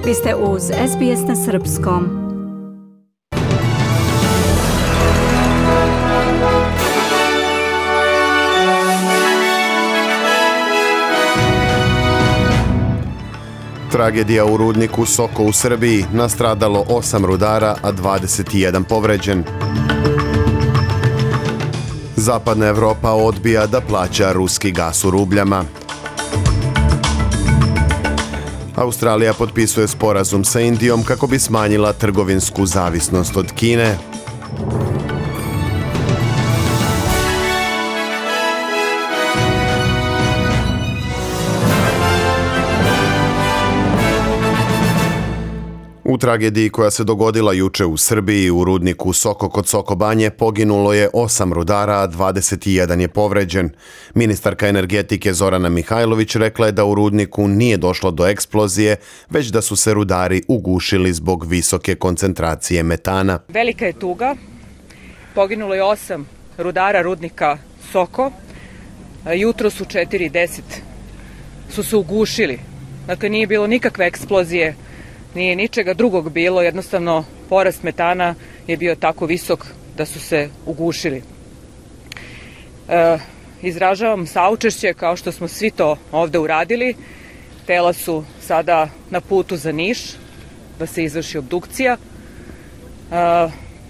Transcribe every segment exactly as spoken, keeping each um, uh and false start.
Vi ste uz S B S na srpskom. Tragedija u rudniku Soko u Srbiji, nastradalo osam rudara, a dvadeset jedan povređen. Zapadna Evropa odbija da plaća ruski gas u rubljama. Australija potpisuje sporazum sa Indijom kako bi smanjila trgovinsku zavisnost od Kine. U tragediji koja se dogodila juče u Srbiji u rudniku Soko kod Soko Banje poginulo je osam rudara, a dvadeset jedan je povređen. Ministarka energetike Zorana Mihajlović rekla je da u rudniku nije došlo do eksplozije, već da su se rudari ugušili zbog visoke koncentracije metana. Velika je tuga. Poginulo je osam rudara rudnika Soko. Jutros u četiri deset su se ugušili. Dakle, nije bilo nikakve eksplozije. Nije ničega drugog bilo, jednostavno porast metana je bio tako visok da su se ugušili. E, izražavam saučešće kao što smo svi to ovde uradili. Tela su sada na putu za Niš da se izvrši obdukcija. E,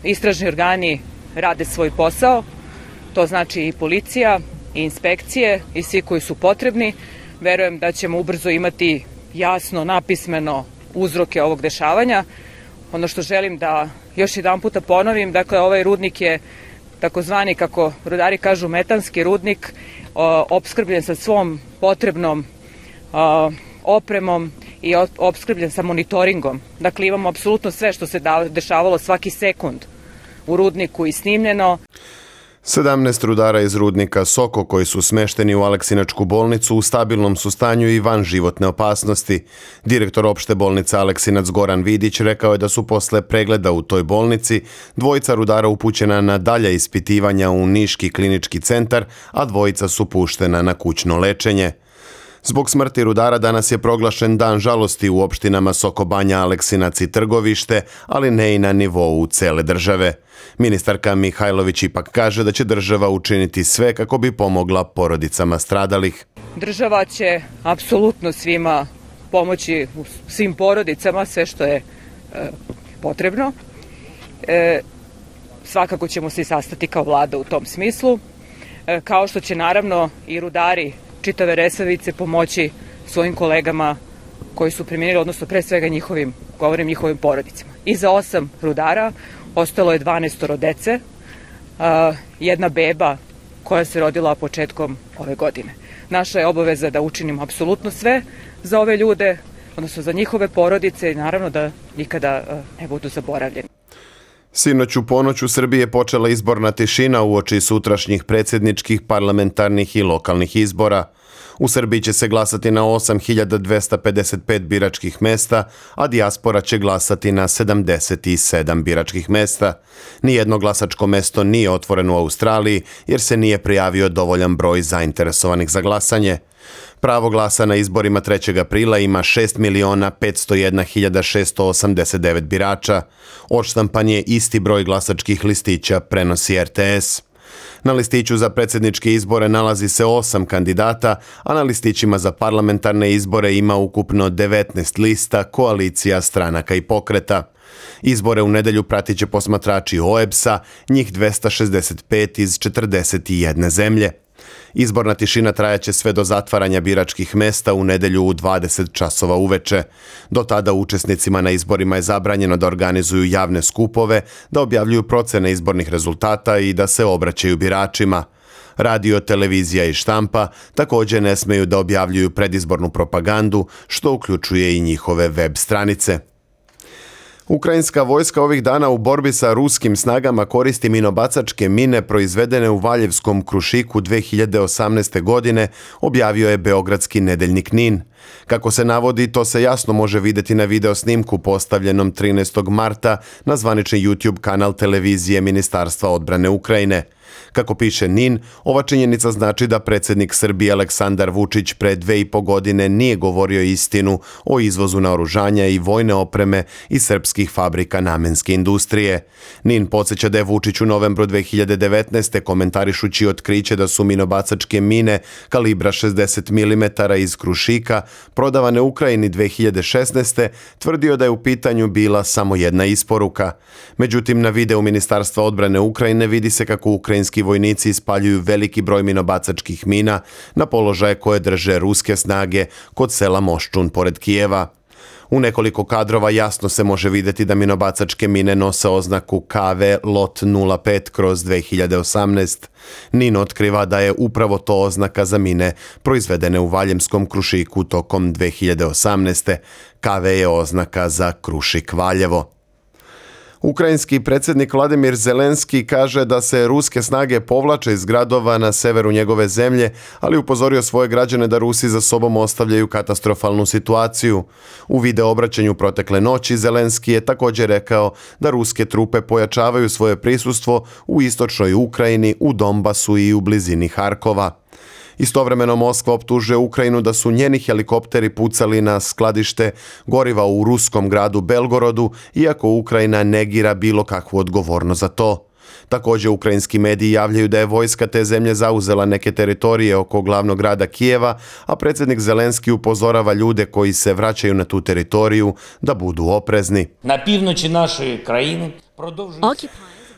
istražni organi rade svoj posao, to znači i policija, i inspekcije, i svi koji su potrebni. Verujem da ćemo ubrzo imati jasno, napismeno uzroke ovog dešavanja. Ono što želim da još jedan puta ponovim, dakle ovaj rudnik je takozvani, kako rudari kažu, metanski rudnik, opskrbljen sa svom potrebnom o, opremom i opskrbljen sa monitoringom. Dakle, imamo apsolutno sve što se da, dešavalo svaki sekund u rudniku i snimljeno. sedamnaest rudara iz rudnika Soko koji su smešteni u Aleksinačku bolnicu u stabilnom su stanju i van životne opasnosti. Direktor opšte bolnice Aleksinac Goran Vidić rekao je da su posle pregleda u toj bolnici dvojica rudara upućena na dalja ispitivanja u Niški klinički centar, a dvojica su puštena na kućno lečenje. Zbog smrti rudara danas je proglašen dan žalosti u opštinama Soko Banja, Aleksinac i Trgovište, ali ne i na nivou cele države. Ministarka Mihajlović ipak kaže da će država učiniti sve kako bi pomogla porodicama stradalih. Država će apsolutno svima pomoći, svim porodicama, sve što je e, potrebno. E, svakako ćemo se i sastati kao vlada u tom smislu, e, kao što će naravno i rudari čitave Resavice pomoći svojim kolegama koji su preminili, odnosno pre svega njihovim, govorim njihovim porodicama. I za osam rudara ostalo je dvanaestoro dece, jedna beba koja se rodila početkom ove godine. Naša je obaveza da učinimo apsolutno sve za ove ljude, odnosno za njihove porodice i naravno da nikada ne budu zaboravljeni. Sinoć u ponoć u Srbiji je počela izborna tišina uoči sutrašnjih predsjedničkih, parlamentarnih i lokalnih izbora. U Srbiji će se glasati na osam hiljada dvesta pedeset pet biračkih mesta, a dijaspora će glasati na sedamdeset sedam biračkih mesta. Nijedno glasačko mesto nije otvoreno u Australiji jer se nije prijavio dovoljan broj zainteresovanih za glasanje. Pravo glasa na izborima trećeg aprila ima šest miliona petsto jedna hiljada šesto osamdeset devet birača. Odštampan je isti broj glasačkih listića, prenosi R T S. Na listiću za predsjedničke izbore nalazi se osam kandidata, a na listićima za parlamentarne izbore ima ukupno devetnaest lista, koalicija, stranaka i pokreta. Izbore u nedelju pratit će posmatrači O E B S-a, njih dvesta šezdeset pet iz četrdeset jedne zemlje. Izborna tišina trajaće sve do zatvaranja biračkih mesta u nedelju u dvadeset časova uveče. Do tada učesnicima na izborima je zabranjeno da organizuju javne skupove, da objavljuju procene izbornih rezultata i da se obraćaju biračima. Radio, televizija i štampa također ne smeju da objavljuju predizbornu propagandu, što uključuje i njihove web stranice. Ukrajinska vojska ovih dana u borbi sa ruskim snagama koristi minobacačke mine proizvedene u Valjevskom Krušiku dve hiljade osamnaeste. godine, objavio je beogradski nedeljnik Nin. Kako se navodi, to se jasno može vidjeti na video snimku postavljenom trinaestog marta na zvanični YouTube kanal televizije Ministarstva odbrane Ukrajine. Kako piše N I N, ova činjenica znači da predsjednik Srbije Aleksandar Vučić pre dve i po godine nije govorio istinu o izvozu naoružanja i vojne opreme iz srpskih fabrika namenske industrije. N I N podsjeća da je Vučić u novembru dve hiljade devetnaeste komentarišući otkriće da su minobacačke mine kalibra šezdeset milimetara iz Krušika prodavane Ukrajini dve hiljade šesnaeste tvrdio da je u pitanju bila samo jedna isporuka. Međutim, na videu Ministarstva odbrane Ukrajine vidi se kako ukrajinski vojnici ispaljuju veliki broj minobacačkih mina na položaje koje drže ruske snage kod sela Moščun pored Kijeva. U nekoliko kadrova jasno se može vidjeti da minobacačke mine nose oznaku K V lot nula pet kroz dve hiljade osamnaeste. N I N otkriva da je upravo to oznaka za mine proizvedene u Valjevskom Krušiku tokom dve hiljade osamnaeste. K V je oznaka za Krušik Valjevo. Ukrajinski predsjednik Vladimir Zelenski kaže da se ruske snage povlače iz gradova na severu njegove zemlje, ali upozorio svoje građane da Rusi za sobom ostavljaju katastrofalnu situaciju. U video obraćanju protekle noći Zelenski je također rekao da ruske trupe pojačavaju svoje prisustvo u istočnoj Ukrajini, u Donbasu i u blizini Harkova. Istovremeno Moskva optužuje Ukrajinu da su njeni helikopteri pucali na skladište goriva u ruskom gradu Belgorodu, iako Ukrajina negira bilo kakvu odgovornost za to. Također ukrajinski mediji javljaju da je vojska te zemlje zauzela neke teritorije oko glavnog grada Kijeva, a predsjednik Zelenski upozorava ljude koji se vraćaju na tu teritoriju da budu oprezni. Na pівночі нашої країни продовжують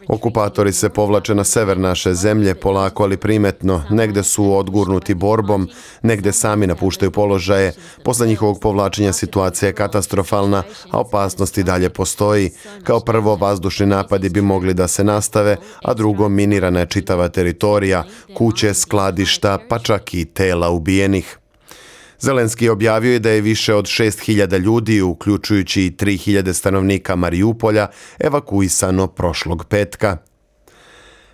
Okupatori se povlače na sever naše zemlje polako ali primetno, negde su odgurnuti borbom, negde sami napuštaju položaje. Posle njihovog povlačenja situacija je katastrofalna, a opasnost i dalje postoji. Kao prvo, vazdušni napadi bi mogli da se nastave, a drugo, minirana je čitava teritorija, kuće, skladišta, pa čak i tela ubijenih. Zelenski je objavio i da je više od šest hiljada ljudi, uključujući i tri hiljade stanovnika Marijupolja, evakuisano prošlog petka.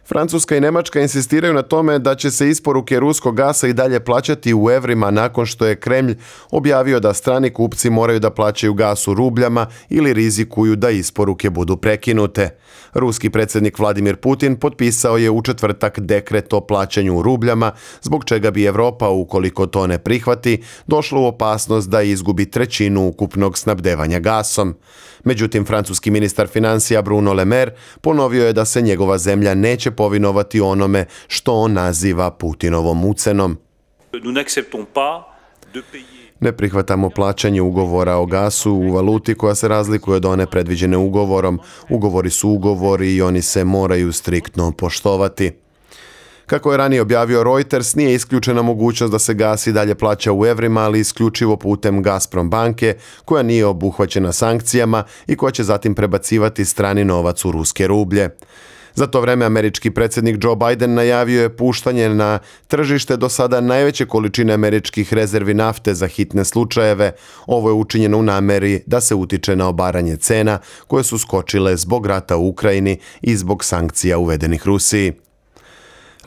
Francuska i Nemačka insistiraju na tome da će se isporuke ruskog gasa i dalje plaćati u evrima nakon što je Kremlj objavio da strani kupci moraju da plaćaju gas u rubljama ili rizikuju da isporuke budu prekinute. Ruski predsjednik Vladimir Putin potpisao je u četvrtak dekret o plaćanju u rubljama, zbog čega bi Evropa, ukoliko to ne prihvati, došla u opasnost da izgubi trećinu ukupnog snabdevanja gasom. Međutim, francuski ministar financija Bruno Le Maire ponovio je da se njegova zemlja neće povinovati onome što on naziva Putinovom ucenom. Ne prihvatamo plaćanje ugovora o gasu u valuti koja se razlikuje od one predviđene ugovorom. Ugovori su ugovori i oni se moraju striktno poštovati. Kako je ranije objavio Reuters, nije isključena mogućnost da se gas i dalje plaća u evrima, ali isključivo putem Gazprom banke, koja nije obuhvaćena sankcijama i koja će zatim prebacivati strani novac u ruske rublje. Za to vreme američki predsjednik Joe Biden najavio je puštanje na tržište do sada najveće količine američkih rezervi nafte za hitne slučajeve. Ovo je učinjeno u nameri da se utiče na obaranje cena koje su skočile zbog rata u Ukrajini i zbog sankcija uvedenih Rusiji.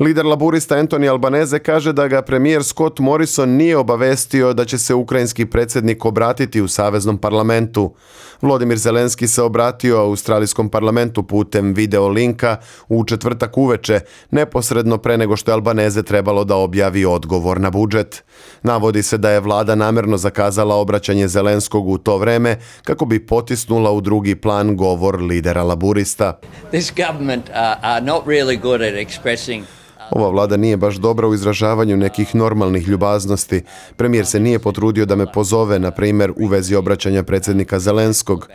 Lider laburista Anthony Albanese kaže da ga premijer Scott Morrison nije obavestio da će se ukrajinski predsjednik obratiti u saveznom parlamentu. Volodymyr Zelenski se obratio australijskom parlamentu putem video linka u četvrtak uveče, neposredno pre nego što je Albanese trebalo da objavi odgovor na budžet. Navodi se da je vlada namerno zakazala obraćanje Zelenskog u to vreme kako bi potisnula u drugi plan govor lidera laburista. This government are, are not really good at expressing Ova vlada nije baš dobra u izražavanju nekih normalnih ljubaznosti. Premijer se nije potrudio da me pozove, na primjer, u vezi obraćanja predsjednika Zelenskog.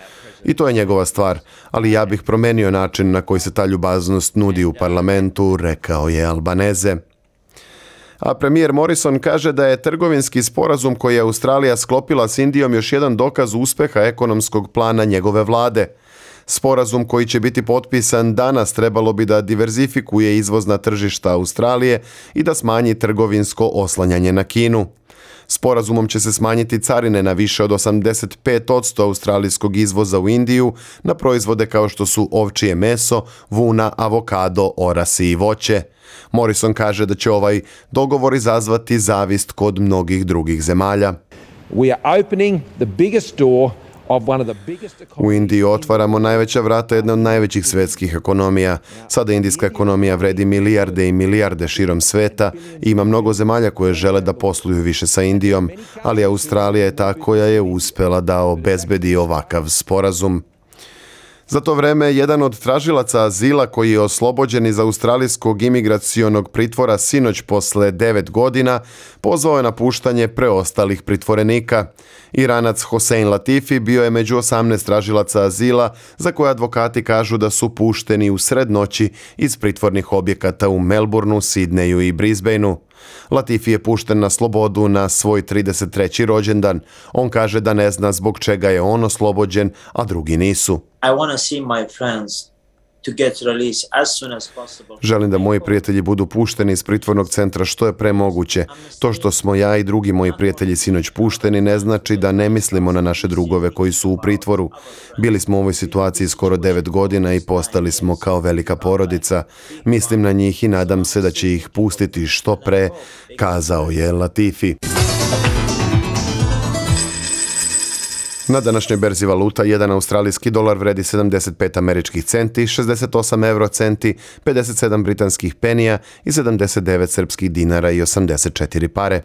I to je njegova stvar, ali ja bih promenio način na koji se ta ljubaznost nudi u parlamentu, rekao je Albanese. A premijer Morrison kaže da je trgovinski sporazum koji je Australija sklopila s Indijom još jedan dokaz uspeha ekonomskog plana njegove vlade. Sporazum koji će biti potpisan danas trebalo bi da diverzifikuje izvozna tržišta Australije i da smanji trgovinsko oslanjanje na Kinu. Sporazumom će se smanjiti carine na više od osamdeset pet posto australijskog izvoza u Indiju na proizvode kao što su ovčje meso, vuna, avokado, orasi i voće. Morrison kaže da će ovaj dogovor izazvati zavist kod mnogih drugih zemalja. We are opening the biggest door of one of the biggest U Indiji otvaramo najveća vrata jedne od najvećih svetskih ekonomija. Sada indijska ekonomija vredi milijarde i milijarde širom sveta i ima mnogo zemalja koje žele da posluju više sa Indijom, ali Australija je ta koja je uspela da obezbedi ovakav sporazum. Za to vreme, jedan od tražilaca azila koji je oslobođen iz australijskog imigracionog pritvora sinoć posle devet godina, pozvao je na puštanje preostalih pritvorenika. Iranac Hossein Latifi bio je među osamnaest tražilaca azila za koje advokati kažu da su pušteni u sred noći iz pritvornih objekata u Melbourneu, Sidneju i Brisbaneu. Latifi je pušten na slobodu na svoj trideset treći rođendan. On kaže da ne zna zbog čega je on oslobođen, a drugi nisu. I want to see my friends to get released as soon as possible. Želim da moji prijatelji budu pušteni iz pritvornog centra što je pre moguće. To što smo ja i drugi moji prijatelji sinoć pušteni ne znači da ne mislimo na naše drugove koji su u pritvoru. Bili smo u ovoj situaciji skoro devet godina i postali smo kao velika porodica. Mislim na njih i nadam se da će ih pustiti što pre, kazao je Latifi. Na današnjoj berzi valuta jedan australijski dolar vredi sedamdeset pet američkih centi, šezdeset osam euro centi, pedeset sedam britanskih penija i sedamdeset devet srpskih dinara i osamdeset četiri pare.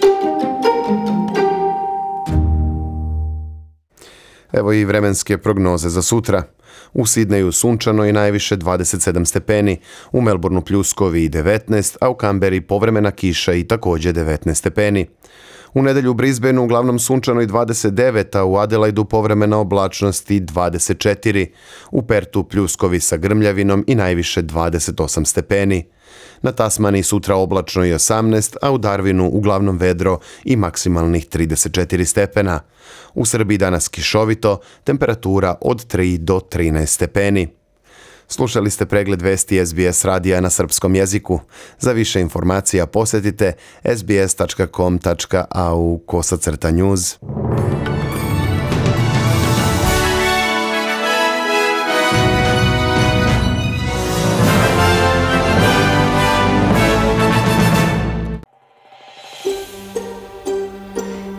Evo i vremenske prognoze za sutra. U Sidneju sunčano i najviše dvadeset sedam stepeni, u Melbourneu pljuskovi i devetnaest, a u Kamberi povremena kiša i također devetnaest stepeni. U nedelju u Brisbaneu uglavnom sunčano i dvadeset devet, a u Adelaidu povremena oblačnost i dvadeset četiri. U Pertu pljuskovi sa grmljavinom i najviše dvadeset osam stepeni. Na Tasmaniji sutra oblačno i osamnaest, a u Darwinu uglavnom vedro i maksimalnih trideset četiri stepena. U Srbiji danas kišovito, temperatura od tri do trinaest stepeni. Slušali ste pregled vesti S B S radija na srpskom jeziku. Za više informacija posjetite s b s tačka com tačka a u kosacrta news.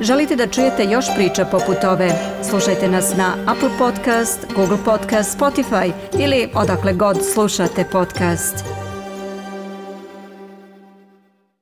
Želite da čujete još priča poput ove? Slušajte nas na Apple Podcast, Google Podcast, Spotify ili odakle god slušate podcast.